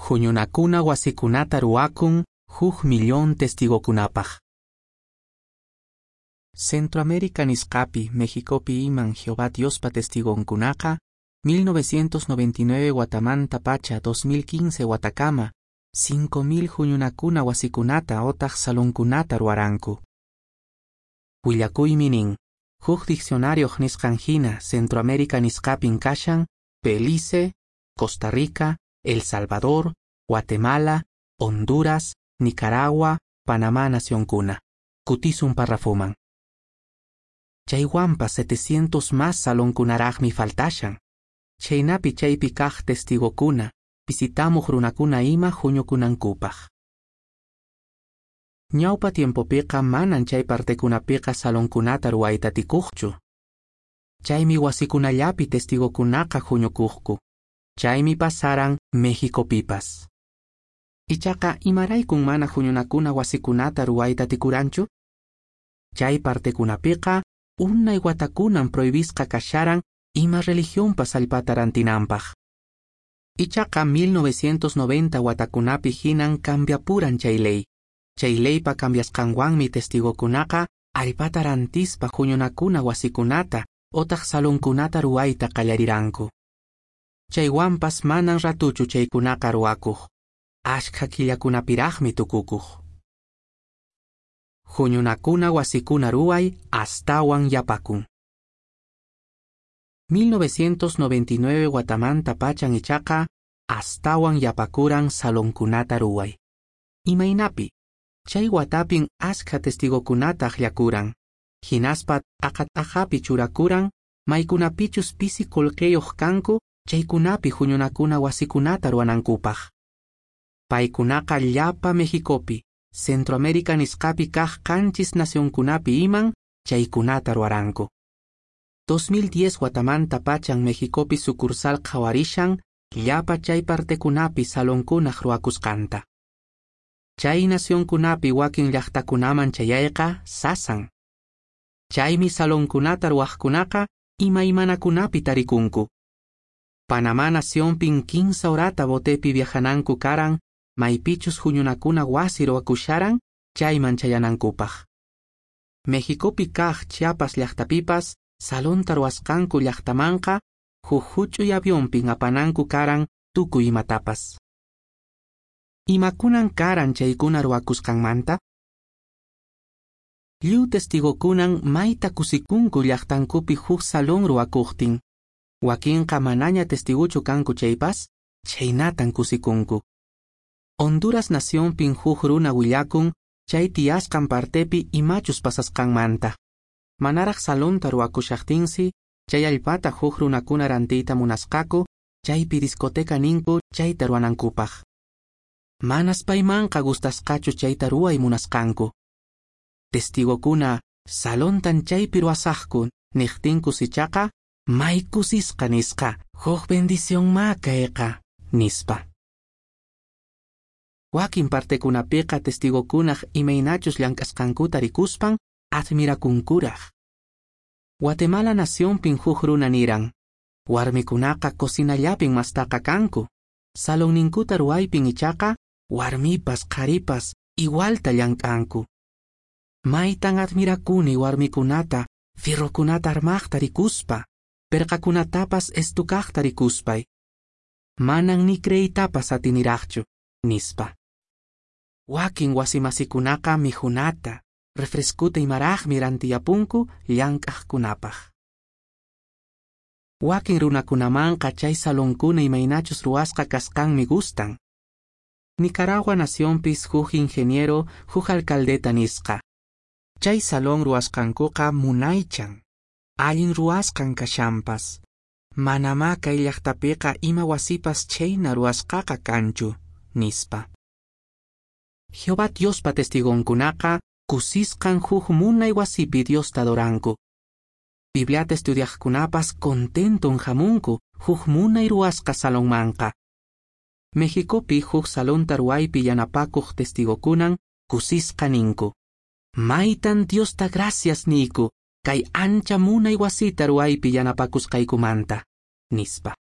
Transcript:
Huñunakuna wasikunata ruwakun huk millón testigokunapaq. Centroamérica nisqapi, Mexicopi iman Jehová Diospa testigonkunaqa 1999 watamanta pacha 2015 watakama 5000 huñunakuna wasikunata otaq salonkunata ruwaranku. Willakuymi nin, huk diccionarioq nisqan hina Centroamérica nisqapin kashan Belice, Costa Rica, El Salvador, Guatemala, Honduras, Nicaragua, Panamá nacionkuna. Kutisun parrafoman. Chaywanpas 700 más salonkunaraqmi faltashan. Chaynapi chaypi kaq testigokuna, visitamuq runakuna ima huñukunankupaq. Ñawpa tiempopiqa manan chay partekunapiqa salonkunata ruwayta atikuqchu. Chaymi wasikunallapi testigokunaqa huñukuqku. Chaymi pasaran Mexicopipas. Ichaqa imaraykun mana huñunakuna wasikunata ruwayta atikuranchu? Chay partekunapiqa unay watakunan prohibisqa kasharan ima religionpas allpata rantinanpaq. Ichaqa 1990 watakunapi hinan cambiapuran chay ley. Chay leypa cambiasqanwanmi testigokunaqa allpata rantispa huñunakuna wasikunata otaq salonkunata ruwayta qallariranku. Chaywanpas manan ratuchu chaykunaqa ruwakuq. Ashkha killakunapiraqmi tukukuq. Huñunakuna wasikuna ruway astawan yapakun. 1999 watamanta pachan ichaqa astawan yapakuran salonkunata ruway. Imaynapi, chay watapin askha testigokunata akllakuran. Hinaspa t'aqa-t'aqapi churakuran maykunapichus pisi qullqiyuq kanku chaykunapi huñunakuna wasikunata ruwanankupaq. Paykunaqa llapa Mexicopi, Centroamérica nisqapi kaq qanchis nacionkunapi iman chaykunata ruwaranku. 2010 watamanta pachan Mexicopi sucursal qhawarishan llapa chay partekunapi salonkunaq ruwakusqanta. Chay nacionkunapi wakin llaqtakunaman chayayqa sasan. Chaymi salonkunata ruwaqkunaqa imaymanakunapi tarikunku. Panamá nacionpin 15 horata botepi viajananku karan maypichus huñunakuna wasi ruwakusharan chayman chayanankupaq. Mexicopi kaq Chiapas llaqtapipas salonta ruwasqanku llaqtamanqa huk huch'uy avionpin apananku karan tukuy imatapas. Imakunan karan chaykuna ruwakusqanmanta? Lliw testigokunan mayta kusikunku llaqtankupi huk salón ruwakuqtin. Wakinqa manaña testiguchu kanku chaypas, chhaynatan kusikunku. Honduras nacionpin huk runa willakun chay tiyasqan partepi imachus pasasqanmanta. Manaraq salonta ruwakushaqtinsi, chay allpata huk runakuna rantiyta munasqaku, chaypi discoteca ninku chayta ruwanankupaq. Manas paymanqa gustasqachu chayta ruway munasqanku. Testigokuna salontan chaypi ruwasaqku niqtinkus ichaqa may kusisqa nisqa, huk bendición ma kayqa, nispa. Wakin partekunapiqa testigokunaq imaynachus llank'asqankuta rikuspan admirakunkuraq. Guatemala nacionpin huk runa niran, warmikunaqa cocinallapin mastaqa kanku, salonninkuta ruwaypin ichaqa warmipas qharipas igualta llank'anku. Maytan admirakuni warmikunata fierrokunata armaqta rikuspa, perqakunatapas estukaqta rikuspay. Manan ni creeytapas atiniraqchu, nispa. Wakin wasimasikunaqa mikhunata, refreskuta imaraqmi rantiyapunku llank'aqkunapaq. Wakin runakunamanqa chay salonkuna imaynachus ruwasqa kasqanmi gustan. Nicaragua nacionpis huk ingeniero, huk alcaldeta nisqa. Chay salón ruwasqankuqa munaychan, allin ruwasqan kashanpas. Manamá kay llaqtapiqa ima wasipas chayna ruwasqaqa kanchu, nispa. Jehová Diospa testigonkunaqa kusisqan huk munay wasipi Diosta adoranku. Bibliata estudiaqkunapas contenton hamunku huk munay ruwasqa salonmanqa. Mexicopi huk salonta ruwaypi yanapakuq testigokunan kusisqa ninku. Maytan Diosta gracias niyku kay ancha munay wasita ruwaypi yanapakusqaykumanta, nispa.